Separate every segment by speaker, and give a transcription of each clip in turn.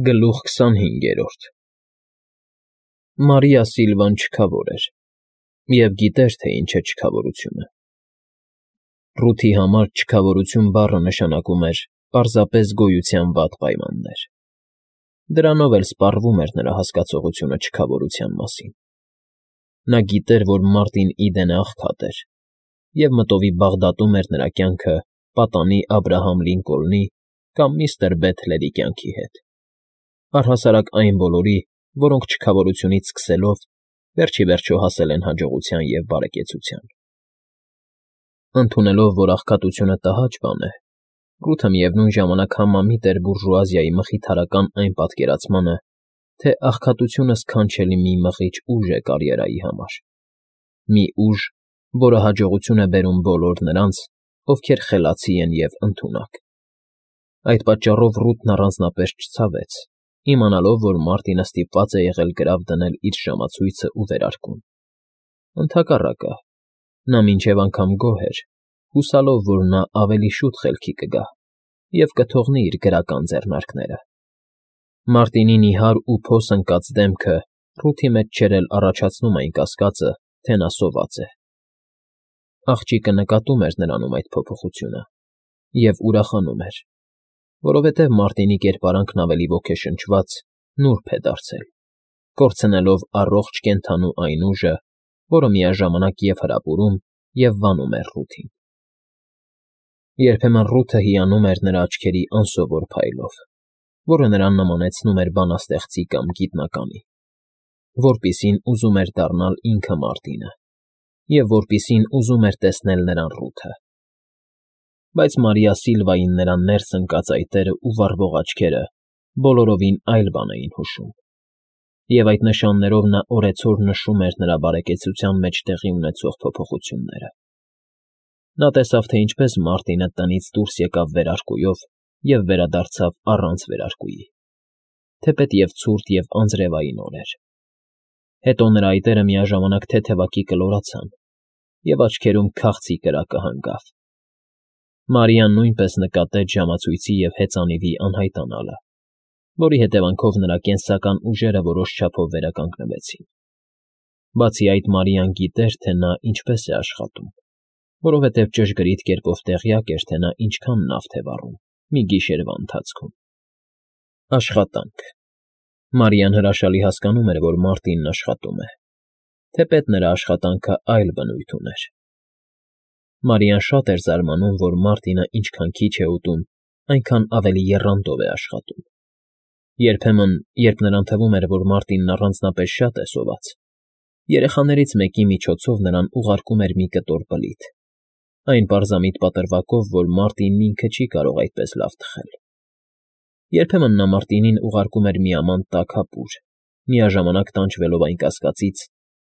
Speaker 1: Գլուխ 25 Մարիա Սիլվան չքավոր էր և գիտեր, թե ինչ է չքավորությունը։ Ռութի համար չքավորություն բառը նշանակում էր պարզապես գոյության վատ պայմաններ։ Դրանով էլ սպառվում էր նրա հասկացողությունը չքավորության մասին։ Նա գիտեր, որ Մարտին Իդենը աղքատ էր, և մտովի Բաղդադում էր նրա կյանքը պատանի Աբրահամ Լինկոլնի կամ միստր Բեթլերի կյանքի հետ, առհասարակ այն բոլորի, որոնք չքավորությունից սկսելով վերջ ի վերջո հասել են հաջողության և բարեկեցության։ Ընդունելով, որ աղքատությունը տհաճ բան է, Ռութը միևնույն ժամանակ համամիտ էր բուրժուազիայի մխիթարական այն պատկերացմանը, թե աղքատությունը սքանչելի մի մղիչ ուժ է կարիերայի համար, մի ուժ, որը հաջողություն է բերում բոլոր նրանց, ովքեր խելացի են և ընդունակ։ Այդ պատճառով Ռութն առանձնապես չցավեց, իմանալով, որ Մարտինը ստիպված է եղել գրավ դնել իր ժամացույցն ու վերարկուն։ Ընդհակառակը, նա մինչև անգամ գոհ էր, հուսալով, որ նա ավելի շուտ խելքի կգա և կթողնի իր գրական ձեռնարկները։ Մարտինի նիհար ու փոս ընկած դեմքը Ռութի մեջ չէր էլ առաջացնում այն կասկածը, թե նա սոված է։ Աղջիկը նկատում էր նրանում այդ փոփոխությունը և ուրախանում էր, որովհետև Մարտինի կերպարանքն ավելի ոգեշնչված, նուրբ է դարձել, կորցնելով առողջ կենդանու այն ուժը, որը միաժամանակ և հրապուրում և վանում էր Ռութին։ Երբեմն Ռութը հիանում էր նրա աչքերի անսովոր փայլով, որը նրան նմանեցնում էր բանաստեղծի կամ գիտնականի, որպիսին ուզում էր դառնալ ինքը Մարտինը և որպիսին ուզում էր տեսնել նրան Ռութը։ Բայց Մարիա Սիլվային նրա ներս ընկած այտերն ու վառվող աչքերը բոլորովին այլ բան էին հուշում, և այդ նշաններով նա օրեցօր նշում էր նրա բարեկեցության մեջ տեղի ունեցող փոփոխությունները։ Նա տեսավ, թե ինչպես Մարտինը տնից դուրս եկավ վերարկուով և վերադարձավ առանց վերարկուի, թեպետև ցուրտ և անձրևային օր էր։ Հետո նրա այտերը միաժամանակ թեթևակի կլորացան, և աչքերում քաղցի կրակը հանգավ։ Մարիան նույնպես նկատեց ժամացույցի և հեծանիվի անհայտանալը, որի հետևանքով նրա կենսական ուժերը որոշ չափով վերականգնվեցին։ Բացի այդ, Մարիան գիտեր, թե նա ինչպես է աշխատում, որովհետև ճշգրիտ կերպով տեղյակ էր, թե նա ինչքան նավթ է վառում մի գիշերվա ընթացքում։ Աշխատանք։ Մարիան հրաշալի հասկանում էր, որ Մարտինն աշխատում է, թեպետ նրա աշխատանքը այլ բնույթ ուներ։ Մարիան շատ էր զարմանում, որ Մարտինը ինչքան քիչ է ուտում, այնքան ավելի եռանդով է աշխատում։ Երբեմն, երբ նրան թվում էր, որ Մարտինն առանձնապես շատ է սոված, երեխաներից մեկի միջոցով նրան ուղարկում էր մի կտոր բլիթ, այն պարզամիտ պատրվակով, որ Մարտինն ինքը չի կարող այդպես լավ թխել։ Երբեմն նա Մարտինին ուղարկում էր մի աման տաք ապուր, միաժամանակ տանջվելով այն կասկածից,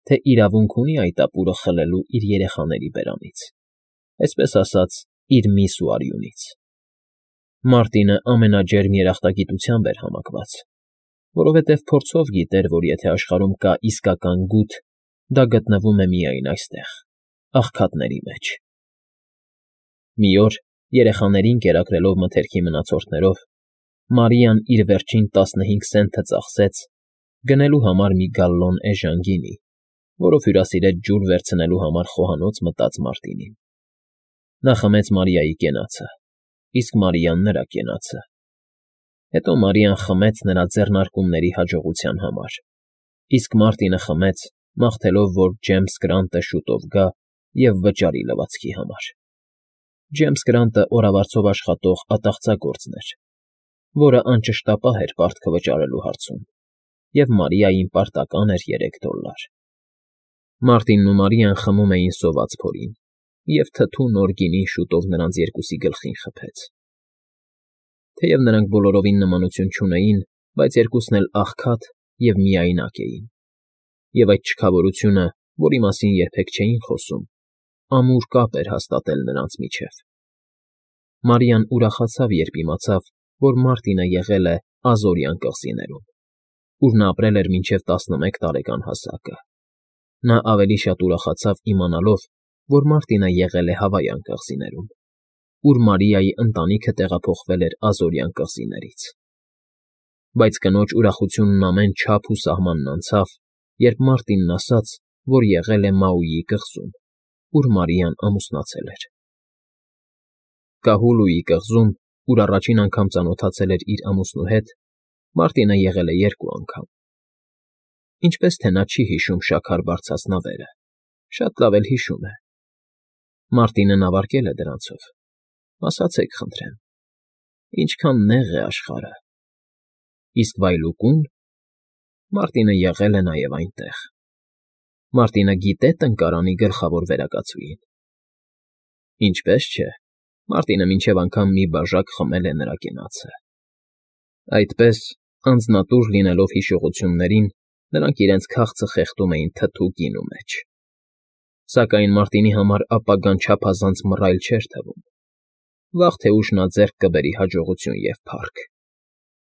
Speaker 1: թե իրավունք ունի այդ ապուրը խլելու իր երեխաների բերանից, այսպես ասած, իր միս ու արյունից։ Մարտինը ամենաջերմ երախտագիտությամբ էր համակված, որովհետև փորձով գիտեր, որ եթե աշխարհում կա իսկական գութ, դա գտնվում է միայն այստեղ, աղքատների մեջ։ Մի օր, երեխաներին կերակրելով մթերքի մնացորդներով, Մարիան իր վերջին 15 սենթը ծախսեց գնելու համար մի գալլոն էժան գինի, որով հյուրասիրեց ջուր վերցնելու համար խոհանոց մտած Մարտինին։ Նա խմեց Մարիայի կենացը, իսկ Մարիան նրա կենացը։ Հետո Մարիան խմեց նրա ձեռնարկումների հաջողության համար, իսկ Մարտինը խմեց, մաղթելով, որ Ջեյմս Գրանտը շուտով գա և վճարի լվացքի համար։ Ջեյմս Գրանտը օրավարձով աշխատող ատաղծագործն էր, որը անճշտապահ էր պարտքը վճարելու հարցում, և Մարիային պարտական էր $3։ Մարտինն ու Մարիան խմում էին սոված փորին, և թթու նոր գինին շուտով նրանց երկուսի գլխին խփեց։ Թեև նրանք բոլորովին նմանություն չունեին, բայց երկուսն էլ աղքատ և միայնակ էին, և այդ չքավորությունը, որի մասին երբեք չէին խոսում, ամուր կապ էր հաստատել նրանց միջև։ Մարիան ուրախացավ, երբ իմացավ, որ Մարտինը եղել է Ազորյան կղզիներում, ուր նա ապրել էր մինչև 11 տարեկան հասակը։ Նա ավելի շատ ուրախացավ իմանալով, որ Մարտինը եղել է Հավայան կղզիներում, ուր Մարիայի ընտանիքը տեղափոխվել էր Ազորյան կղզիներից։ Բայց կնոջ ուրախությունն ամեն չափ ու սահմանն անցավ, երբ Մարտինն ասաց, որ եղել է Մաուիի կղզում, ուր Մարիան ամուսնացել էր։ Կահուլուի կղզում, ուր առաջին անգամ ծանոթացել էր իր ամուսնու հետ, Մարտինը եղել է 2 անգամ։ Ինչպես թե նա չի հիշում շաքար բարձրացնավերը, շատ լավ էլ հիշում է։ Մարտինը նավարկել է դրանցով։ Ասացեք, խնդրեմ, ինչքան նեղ է աշխարհը։ Իսկ վայլուկո՞ւն։ Մարտինը եղել է նաև այնտեղ։ Մարտինը գիտե տնկարանի գլխավոր վերակացուին։ Ինչպես չէ, Մարտինը մինչև անգամ մի բաժակ խմել է նրա կենացը։ Այդպես, անձնատուր լինելով հիշողություններին, նրանք իրենց քաղցը խեղդում էին թթու գինու մեջ։ Սակայն Մարտինի համար ապագան չափազանց մռայլ չէր թվում։ Վաղ թե ուշ նա ձեռք կբերի հաջողություն և փառք։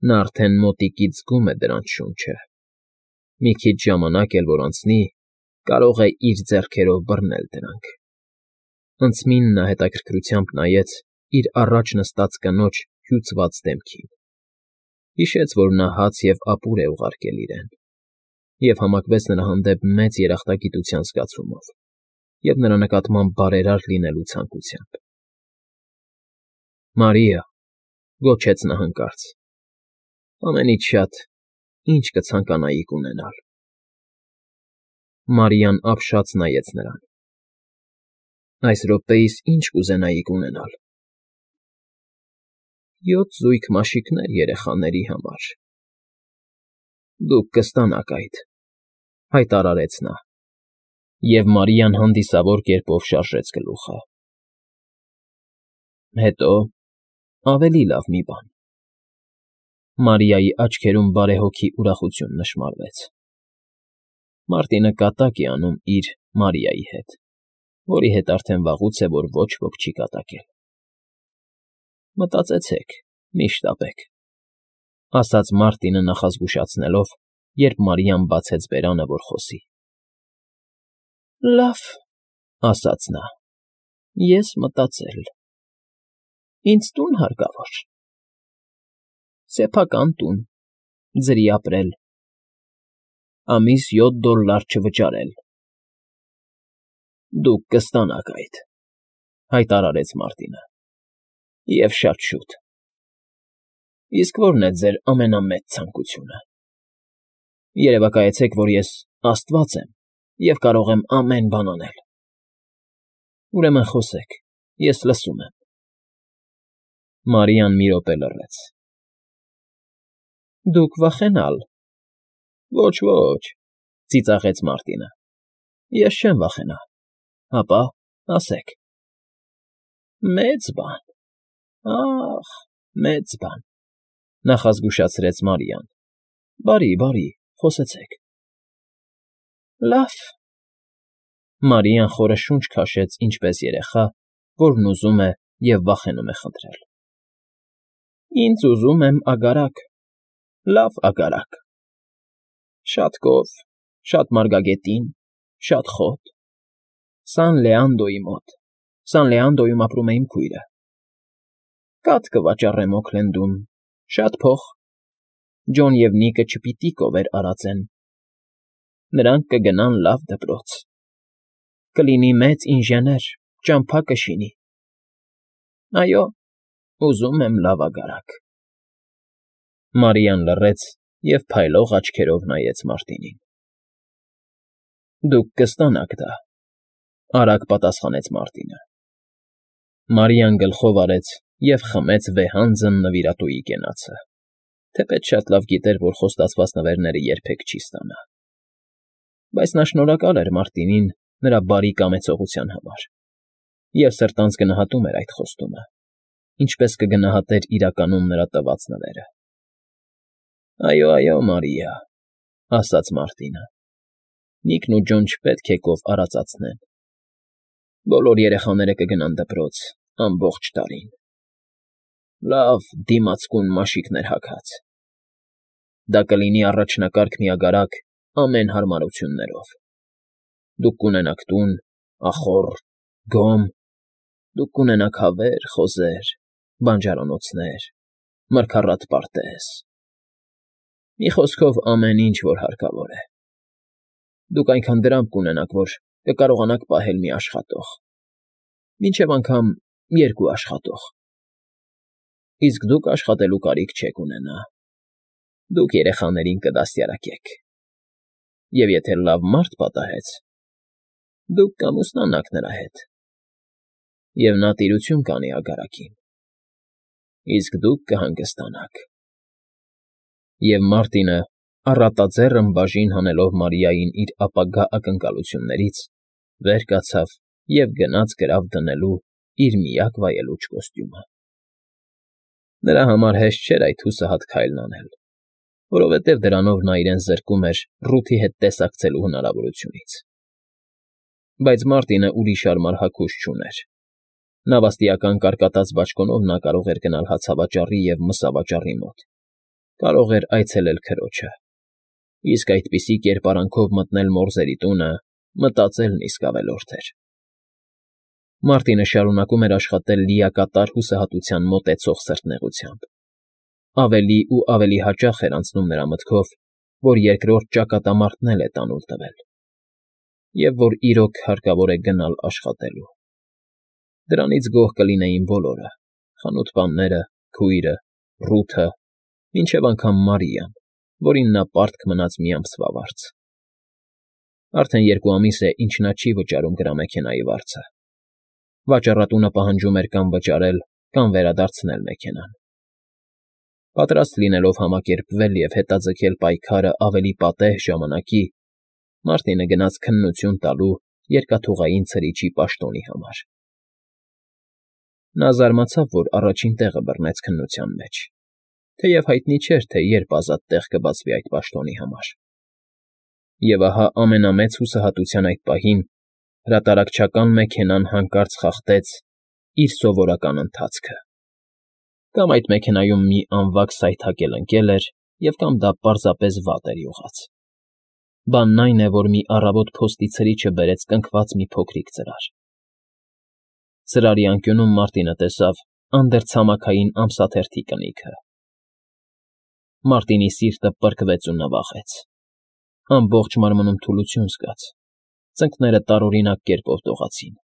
Speaker 1: Նա արդեն մոտիկից զգում է դրանց շունչը։ Մի քիչ ժամանակ էլ որ անցնի, կարող է իր ձեռքերով բռնել դրանք։ Հնձմին նա հետաքրքրությամբ նայեց իր առաջ նստած կնոջ հյուծված դեմքին։ Հիշեց, որ նա հաց և ապուր է ուղարկել իրեն, և համակվեց նրա հանդեպ մեծ երախտագիտության զգացումով և նրա նկատմամբ բարերար լինելու ցանկությամբ։ Մարիա, գոչեց նա հանկարծ, ամենից շատ ինչ կցանկանայիք ունենալ։ Մարիան ապշած նայեց նրան։ Այս րոպեիս ինչ կուզենայիք ունենալ։ 7 զույգ մաշիկներ երեխաների համար։ Դուք կստանաք այդ, հայտարարեց նա, և Մարիան հանդիսավոր կերպով շարժեց գլուխը։ Հետո ավելի լավ մի բան։ Մարիայի աչքերում բարեհոգի ուրախություն նշմարվեց։ Մարտինը կատակ է անում իր Մարիայի հետ, որի հետ արդեն վաղուց է, որ ոչ ոք չի կատակել։ Մտածեցեք, մի շտապեք, ասաց Մարտինը նախազգուշացնելով, երբ Մարիան բացեց բերանը, որ խոսի։ Լավ, ասաց նա, ես մտածել։ Ինձ տուն հարկավոր։ Սեփական տուն, ձրի ապրել, ամիս $7 չվճարել։ Դուք կստանաք այդ, հայտարարեց Մարտինը, և շատ շուտ։ Իսկ ո՞րն է ձեր ամենամեծ ցանկությունը։ Երևակայեցեք, որ ես աստված եմ և կարող եմ ամեն բան անել։ Ուրեմն խոսեք, ես լսում եմ։ Մարիան մի րոպե լռեց։ Դուք վախենալ։ Ոչ, ծիծաղեց Մարտինը։ Ես չեմ վախենա։ Հապա, ասեք։ Մեծ բան, ախ, մեծ բան, նախազգուշացրեց Մարիան։ Բարի, խոսեցեք։ Լավ։ Մարիան խորը շունչ քաշեց ինչպես երեխա, որն ուզում է և վախենում է խնդրել։ Ինձ ուզում եմ ագարակ, լավ ագարակ։ Շատ կով, շատ մարգագետին, շատ խոտ։ Սան Լեանդոյի մոտ, Սան Լեանդոյում ապրում է իմ քույրը։ Կաթ կվաճառեմ Օքլենդում, շատ փող։ Ջոն և Նիկը չպիտի կովեր արածեն։ Նրանք կգնան լավ դպրոց։ Կլինի մեծ ինժեներ, ճամփա կշինի։ Այո, ուզում եմ լավ ագարակ։ Մարիան լռեց և փայլող աչքերով նայեց Մարտինին։ Դուք կստանաք դա, արագ պատասխանեց Մարտինը։ Մարիան գլխով արեց և խմեց վեհանձն նվիրատուի կենացը, թեպետ շատ լավ գիտեր, որ խոստացված նվերները երբեք չի ստանա։ Բայց նա շնորհակալ էր Մարտինին նրա բարի կամեցողության համար և սրտանց գնահատում էր այդ խոստումը, ինչպես կգնահատեր իրականում նրա տված նվերը։ Այո, Մարիա, ասաց Մարտինը։ Նիկն ու Ջոն չպետք է կով արածացնեն։ Բոլոր երեխաները կգնան դպրոց ամբողջ տարին։ Լավ դիմացկուն մաշիկներ հագած։ Դա կլինի առաջնակարգ մի ագարակ ամեն հարմարություններով։ Դուք կունենաք տուն, ախոռ, գոմ, դուք կունենաք հավեր, խոզեր, բանջարանոցներ, մրգառատ պարտեզ։ Մի խոսքով ամեն ինչ, որ հարկավոր է։ Դուք այնքան դրամ կունենաք, որ կկարողանաք պահել մի աշխատող, մինչև անգամ երկու աշխատող, իսկ դուք աշխատելու կարիք չեք ունենա, դուք երեխաներին կդաստիարակեք, և եթե լավ մարդ պատահեց, դուք կամուսնանաք նրա հետ, և նա տիրություն կանի ագարակին, իսկ դուք կհանգստանաք։ Եվ Մարտինը, առատաձեռն բաժին հանելով Մարիային իր ապագա ակնկալություններից, վեր կացավ և գնաց գրավ դնելու իր միակ վայելուչ կոստյումը։ Նրա համար հեշտ չէր այդ հուսահատ քայլն անել, որովհետև դրանով նա իրեն զրկում էր Ռութի հետ տեսակցելու հնարավորությունից։ Բայց Մարտինը ուրիշ արմար հագուստ չուներ։ Նավաստիական կարկատած բաճկոնով նա կարող էր գնալ հացավաճառի և մսավաճառի մոտ, կարող էր այցելել քրոջը, իսկ այդպիսի կերպարանքով մտնել մորզերի տունը մտածելն իսկ ավելորդ էր։ Մարտինը շարունակում էր աշխատել լիակատար հուսահատության մոտեցող սրտնեղությամբ։ Ավելի ու ավելի հաճախ էր անցնում նրա մտքով, որ երկրորդ ճակատամարտն էլ է տանուլ տվել, և որ իրոք հարկավոր է գնալ աշխատելու։ Դրանից գոհ կլինեին բոլորը՝ խանութպանները, քույրը, Ռութը, մինչև անգամ Մարիան, որին նա պարտք մնաց մի ամսվա վարձ։ Արդեն 2 ամիս է, ինչ նա չի վճարում գրամեքենայի վարձը։ Վաճառատունը պահանջում էր կամ վճարել, կամ վերադարձնել մեքենան։ Պատրաստ լինելով համակերպվել և հետաձգել պայքարը ավելի պատեհ ժամանակի, Մարտինը գնաց քննություն տալու երկաթուղային ցրիչի պաշտոնի համար։ Նա զարմացավ, որ առաջին տեղը բռնեց քննության մեջ, թեև հայտնի չէր, թե երբ ազատ տեղ կբացվի այդ պաշտոնի համար։ Եվ ահա ամենամեծ հուսահատության այդ պահին հրատարակչական մեքենան հանկարծ խախտեց իր սովորական ընթացքը։ Կամ այդ մեքենայում մի անվակ սայթաքել ընկել էր, և կամ դա պարզապես վատ էր յուղած։ Բանն այն է, որ մի առավոտ փոստի ցրիչը բերեց կնքված մի փոքրիկ ծրար։ Ծրարի անկյունում Մարտինը տեսավ անդրցամաքային ամսաթերթի կնիքը։ Մարտինի սիրտը պրկվեց ու նվաղեց։ Ամբողջ մարմնում թուլություն զգաց, ծնկները տարօրինակ կերպով դողացին։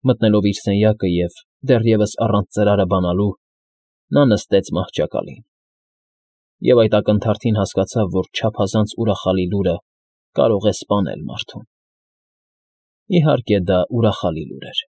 Speaker 1: Մտնելով իր սենյակը և դեռևս առանց ծրարը բանալու, նա նստեց մահճակալին։ Եվ այդ ակնթարթին հասկացավ, որ չափազանց ուրախալի լուրը կարող է սպանել մարդուն։ Իհարկե, դա ուրախալի լուր էր։